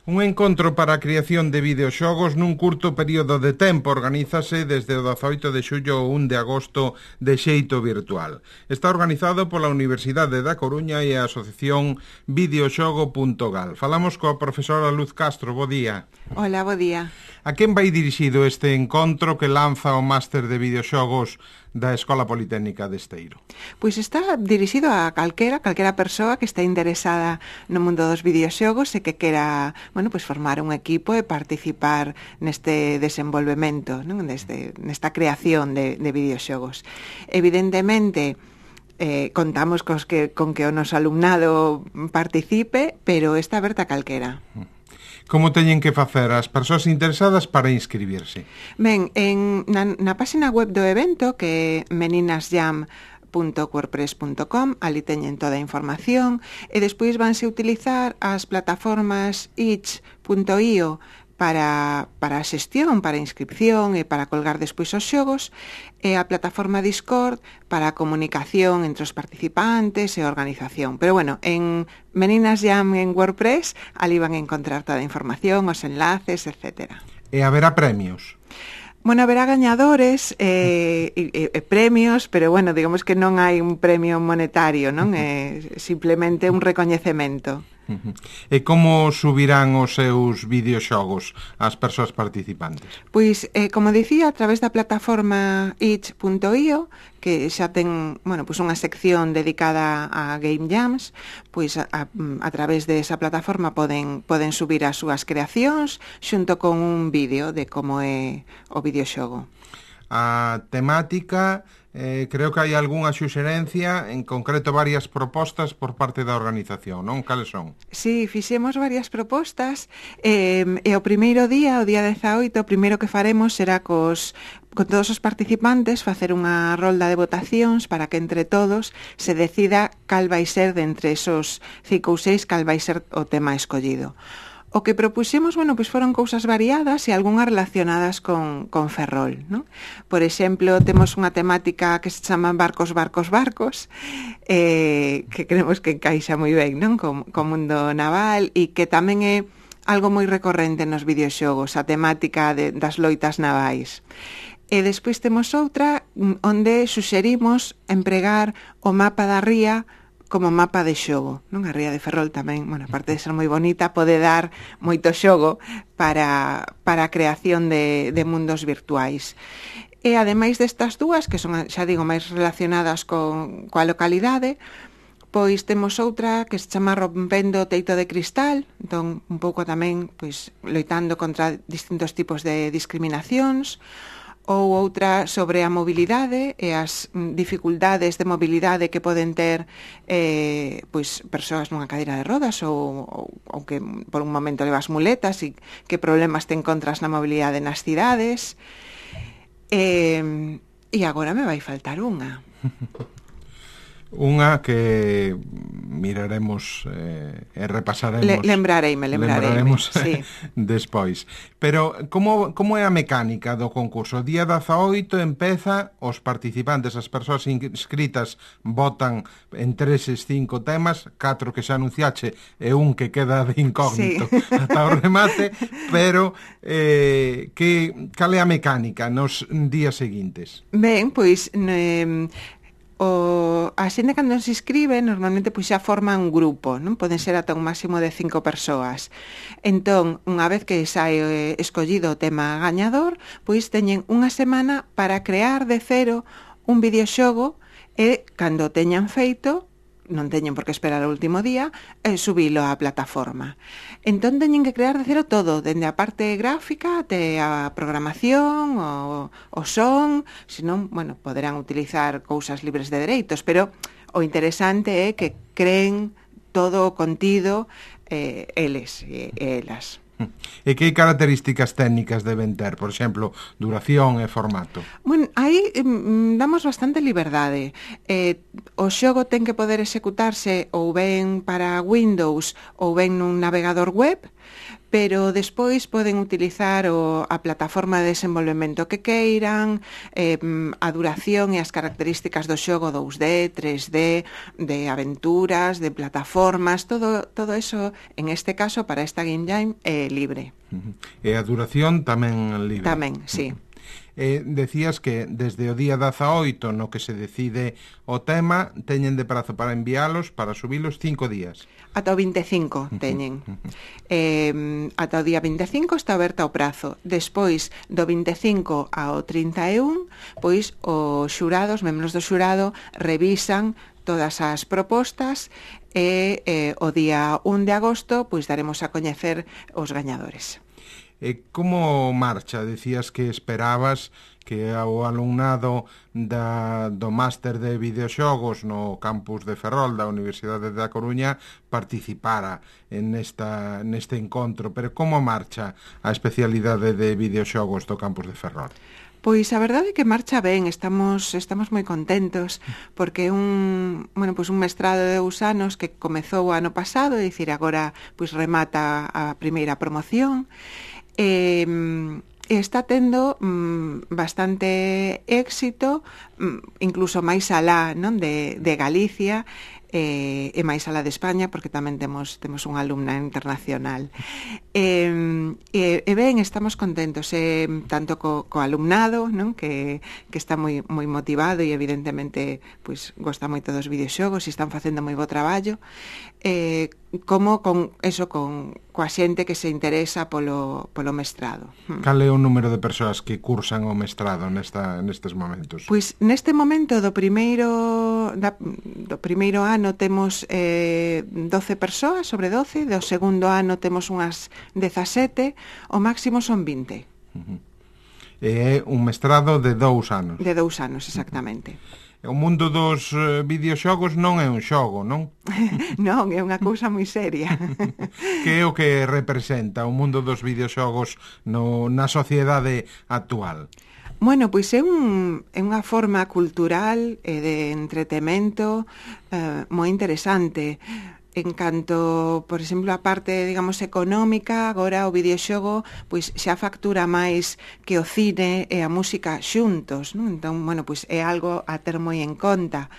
Un encontro para a creación de videoxogos nun curto período de tempo organízase desde o 18 de xullo ao 1 de agosto de xeito virtual. Está organizado pola Universidade da Coruña e a Asociación Videoxogo.gal. Falamos coa profesora Luz Castro. Bo día. Hola, bo día. A quen vai dirixido este encontro que lanza o Máster de Videoxogos da Escola Politécnica de Esteiro? Pois está dirixido a calquera persoa que está interesada no mundo dos videoxogos e que quera, pois formar un equipo e participar neste desenvolvemento, non? Nesta creación de videoxogos. Evidentemente, contamos con que o noso alumnado participe, pero está aberta a calquera. Como teñen que facer as persoas interesadas para inscribirse? Ben, na página web do evento, que é meninasjam.wordpress.com, ali teñen toda a información, e despois vanse utilizar as plataformas itch.io para a xestión, para a inscripción e para colgar despois os xogos, e a plataforma Discord para a comunicación entre os participantes e a organización. Pero en Meninas Jam en WordPress, ali van a encontrar toda a información, os enlaces, etc. E haberá premios? Haberá gañadores e premios, pero digamos que non hai un premio monetario, non? É simplemente un recoñecemento. E como subirán os seus videoxogos as persoas participantes? Pois, como dicía, a través da plataforma itch.io, que xa ten, unha sección dedicada a Game Jams, pois a través desa plataforma poden subir as súas creacións xunto con un vídeo de como é o videoxogo. A temática, creo que hai algunha suxerencia, en concreto varias propostas por parte da organización, non? Cales son? Sí, fixemos varias propostas, e o primeiro día, o día 18, o primeiro que faremos será con todos os participantes facer unha rolda de votacións para que entre todos se decida cal vai ser de entre esos 5 ou 6 cal vai ser o tema escollido. O que propuxemos, foron cousas variadas e algunhas relacionadas con Ferrol, non? Por exemplo, temos unha temática que se chama Barcos, que creemos que encaixa moi ben, non? Co mundo naval, e que tamén é algo moi recorrente nos videoxogos, a temática das loitas navais. E despois temos outra onde suxerimos empregar o mapa da ría como mapa de xogo, non? A ría de Ferrol tamén, aparte de ser moi bonita, pode dar moito xogo para a creación de mundos virtuais. E ademais destas dúas, que son, xa digo, máis relacionadas coa localidade, pois temos outra que se chama Rompendo o teito de cristal, entón un pouco tamén loitando contra distintos tipos de discriminacións, ou outra sobre a mobilidade e as dificultades de mobilidade que poden ter persoas nunha cadeira de rodas ou que por un momento levas muletas e que problemas te encontras na mobilidade nas cidades. E agora me vai faltar unha. Unha que miraremos e repasaremos. Lembrareime, sí. Despois. Pero como é a mecánica do concurso? O día 18 empeza, os participantes, as persoas inscritas votan entre eses 5 temas, 4 que xa anunciache e un que queda de incógnito ata o remate, pero cal é a mecánica nos días seguintes? Ben, pois a xente cando se inscribe normalmente xa forma un grupo, non? Poden ser ata un máximo de 5 persoas. Entón, unha vez que sae escollido o tema gañador, pois teñen unha semana para crear de cero un videoxogo e cando teñan feito, non teñen por que esperar o último día, subilo á plataforma. Entón teñen que crear de cero todo, dende a parte gráfica até a programación, o son, senón, poderán utilizar cousas libres de dereitos, pero o interesante é que creen todo o contido eles e elas. E que características técnicas deben ter? Por exemplo, duración e formato? Aí damos bastante liberdade. O xogo ten que poder executarse ou ben para Windows ou ben nun navegador web, pero despois poden utilizar a plataforma de desenvolvemento que queiran, a duración e as características do xogo 2D, 3D, de aventuras, de plataformas, todo eso, en este caso, para esta Game Jam, é libre. E a duración tamén libre? Tamén, sí. Decías que desde o día 18 no que se decide o tema teñen de prazo para enviálos, para subilos 5 días. Ata o 25 teñen. Ata o día 25 está aberta o prazo. Despois do 25 ao 31, pois os xurados, membros do xurado, revisan todas as propostas e o día 1 de agosto pois daremos a coñecer os gañadores. Como marcha? Decías que esperabas que o alumnado do máster de videoxogos no campus de Ferrol da Universidade da Coruña participara neste encontro, pero como marcha a especialidade de videoxogos do campus de Ferrol? Pois a verdade é que marcha ben, estamos moi contentos porque un mestrado de 2 anos que comezou o ano pasado, é dicir, agora pois remata a primeira promoción. Está tendo bastante éxito, incluso máis alá, non, de Galicia e máis alá de España, porque tamén temos unha alumna internacional. Ben, estamos contentos, tanto co alumnado, non, que está moi motivado e evidentemente pois gosta moito dos videoxogos e están facendo moi bo traballo, como coa xente que se interesa polo mestrado. Cal é o número de persoas que cursan o mestrado nestes momentos? Pois neste momento do primeiro ano temos 12 persoas, sobre 12, do segundo ano temos unhas 17, o máximo son 20. É un mestrado de 2 anos. De 2 anos, exactamente. O mundo dos videoxogos non é un xogo, non? Non, é unha cousa moi seria. Que é o que representa o mundo dos videoxogos na sociedade actual? Bueno, pois é unha forma cultural e de entretemento moi interesante. En canto, por exemplo, a parte, digamos, económica, agora o videoxogo pois xa factura máis que o cine e a música xuntos, non? Entón, bueno, pois é algo a ter moi en conta.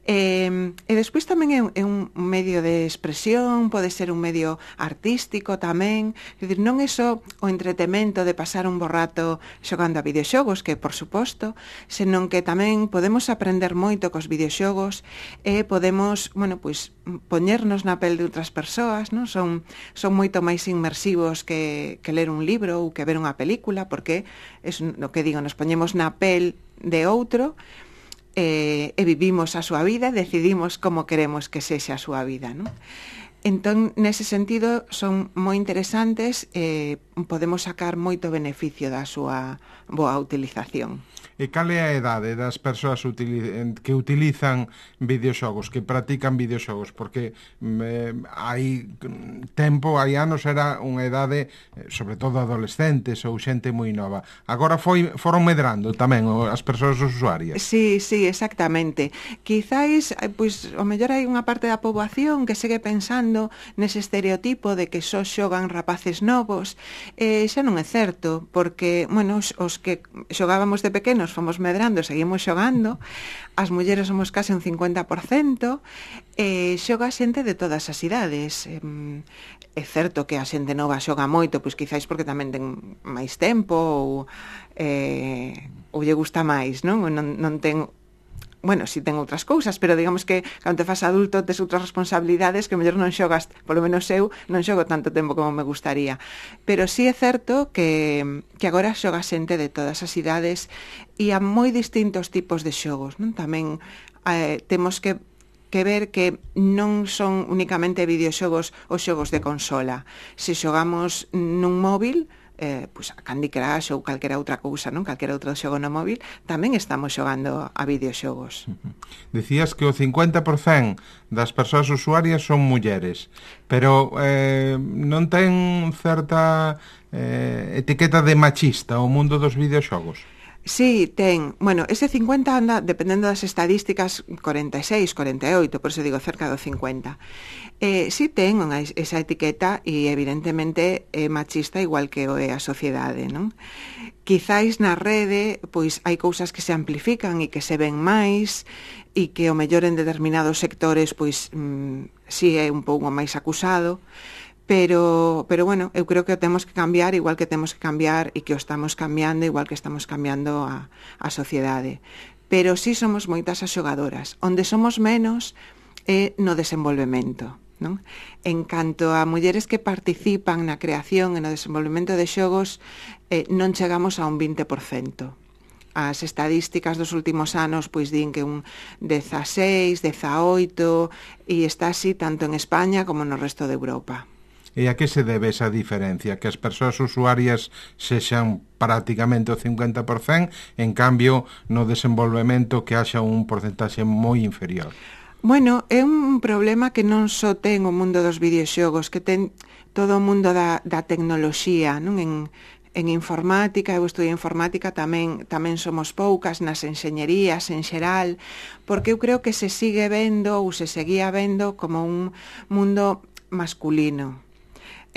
E despois tamén é un medio de expresión, pode ser un medio artístico tamén, é dicir, non é só o entretemento de pasar un bo rato xogando a videoxogos, que por suposto, senón que tamén podemos aprender moito cos videoxogos e podemos, bueno, pois poñernos na pel de outras persoas, non? Son moito máis inmersivos que ler un libro ou que ver unha película, porque é o que digo, nos poñemos na pel de outro e vivimos a súa vida, decidimos como queremos que sexa a súa vida, non? Entón, nese sentido, son moi interesantes e podemos sacar moito beneficio da súa boa utilización. E cal é a edade das persoas que utilizan videoxogos, que practican videoxogos? Porque hai anos era unha edade, sobre todo adolescentes ou xente moi nova. Agora foron medrando tamén as persoas usuarias. Sí, exactamente. Quizáis, pois, o mellor hai unha parte da poboación que segue pensando nese estereotipo de que só xogan rapaces novos. Xa non é certo, porque, bueno, os que xogábamos de pequenos fomos medrando, seguimos xogando, as mulleres somos case un 50%, xoga xente de todas as idades. É certo que a xente nova xoga moito, pois quizáis porque tamén ten máis tempo ou lle gusta máis, non? Non ten... Bueno, si ten outras cousas, pero digamos que cando te fas adulto tes outras responsabilidades que mellor non xogas, polo menos eu non xogo tanto tempo como me gustaría. Pero sí é certo que agora xoga xente de todas as idades e a moi distintos tipos de xogos, non? Tamén temos que ver que non son únicamente videoxogos ou xogos de consola. Se xogamos nun móvil, pois a Candy Crush ou calquera outra cousa, non? Calquera outro xogo no móvil, tamén estamos xogando a videoxogos. Decías que o 50% das persoas usuarias son mulleres, pero non ten certa etiqueta de machista o mundo dos videoxogos? Sí, ten. Bueno, ese 50 anda, dependendo das estadísticas, 46, 48, por eso digo cerca do 50. Sí ten esa etiqueta e evidentemente é machista igual que o é a sociedade, non? Quizáis na rede, pois hai cousas que se amplifican e que se ven máis e que o mellor en determinados sectores, pois si é un pouco máis acusado, pero bueno, eu creo que o temos que cambiar igual que temos que cambiar e que o estamos cambiando igual que estamos cambiando a sociedade. Pero sí somos moitas as xogadoras. Onde somos menos é no desenvolvemento, non? En canto a mulleres que participan na creación e no desenvolvemento de xogos, non chegamos a un 20%. As estadísticas dos últimos anos pois din que un 16, 18 e está así tanto en España como no resto de Europa. E a que se debe esa diferencia? Que as persoas usuarias sexan prácticamente o 50%, en cambio, no desenvolvemento que haxa un porcentaxe moi inferior. Bueno, é un problema que non só ten o mundo dos videoxogos, que ten todo o mundo da tecnoloxía, non? En informática, eu estudio informática, tamén somos poucas, nas enxeñerías en xeral, porque eu creo que se sigue vendo ou se seguía vendo como un mundo masculino.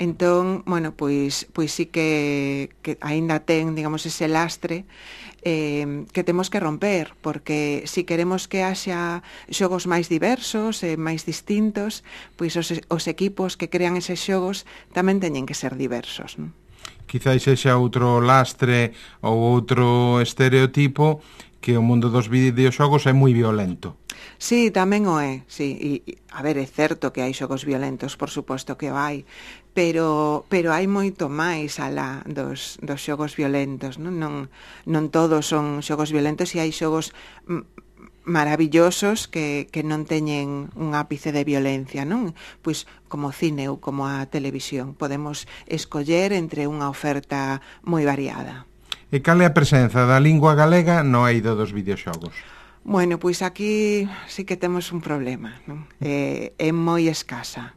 Entón, bueno, pois sí que aínda ten, digamos, ese lastre que temos que romper, porque si queremos que haxa xogos máis diversos e máis distintos, pois os equipos que crean eses xogos tamén teñen que ser diversos, non? Quizáis sexa outro lastre ou outro estereotipo que o mundo dos videoxogos é moi violento. Sí, tamén o é, sí. E, a ver, é certo que hai xogos violentos, por suposto que o hai, pero hai moito máis alá dos xogos violentos, non? Non todos son xogos violentos e hai xogos maravillosos que non teñen un ápice de violencia, non? Pois como o cine ou como a televisión. Podemos escoller entre unha oferta moi variada. E cal é a presenza da lingua galega no eido dos videoxogos? Bueno, pois aquí sí que temos un problema, non? É moi escasa.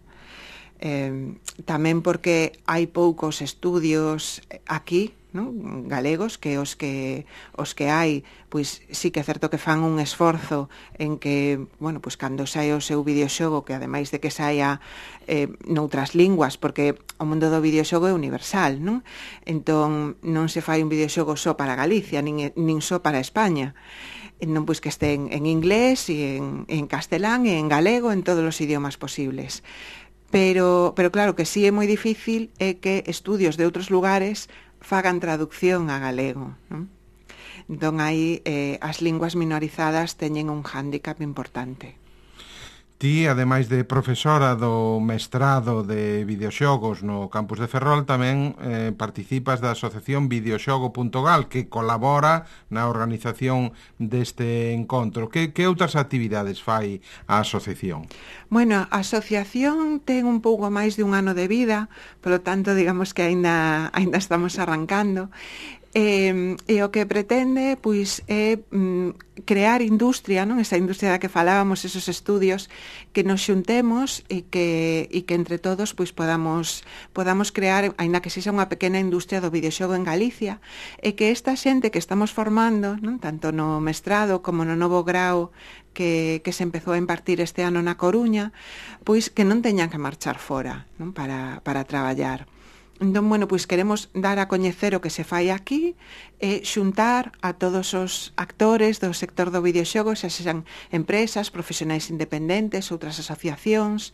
Tamén porque hai poucos estudios aquí, non? Galegos, que os que hai, pois sí que é certo que fan un esforzo en que, bueno, pois cando sae o seu videoxogo, que ademais de que saia noutras linguas, porque o mundo do videoxogo é universal, non? Entón non se fai un videoxogo só para Galicia, nin só para España. Non, pois que estén en inglés e en castelán e en galego, en todos os idiomas posibles. Pero claro que sí é moi difícil é que estudios de outros lugares fagan traducción a galego, non? Entón aí as linguas minorizadas teñen un hándicap importante. Ti, ademais de profesora do mestrado de videoxogos no campus de Ferrol, tamén participas da asociación videoxogo.gal, que colabora na organización deste encontro. Que outras actividades fai a asociación? Bueno, a asociación ten un pouco máis de un ano de vida, polo tanto, digamos que aínda estamos arrancando. E o que pretende, pois, é crear industria, non? Esa industria da que falábamos, esos estudios, que nos xuntemos e que entre todos pois podamos crear, aínda que sexa unha pequena industria do videoxogo en Galicia, e que esta xente que estamos formando, non? Tanto no mestrado como no novo grao que se empezou a impartir este ano na Coruña, pois que non teñan que marchar fora, non? Para traballar. Entón, bueno, pois queremos dar a coñecer o que se fai aquí e xuntar a todos os actores do sector do videoxogo, xa sexan empresas, profesionais independentes, outras asociacións,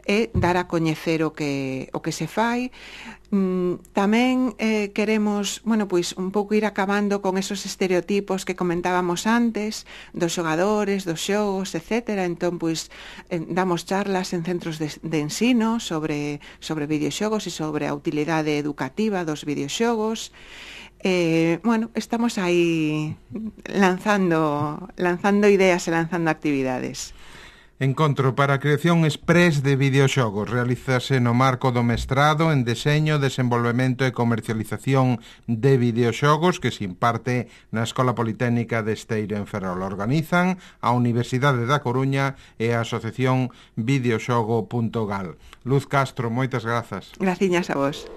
e dar a coñecer o que se fai. Tamén queremos, bueno, pois un pouco ir acabando con esos estereotipos que comentábamos antes, dos xogadores, dos xogos, etc. Entón, pois, damos charlas en centros de ensino sobre videoxogos e sobre a utilidade educativa dos videoxogos. Bueno, estamos aí lanzando ideas e lanzando actividades. Encontro para a creación express de videoxogos. Realízase no marco do mestrado en Deseño, Desenvolvemento e Comercialización de Videoxogos que se imparte na Escola Politécnica de Esteiro en Ferrol. Organizan a Universidade da Coruña e a Asociación videoxogo.gal. Luz Castro, moitas grazas. Graciñas a vos.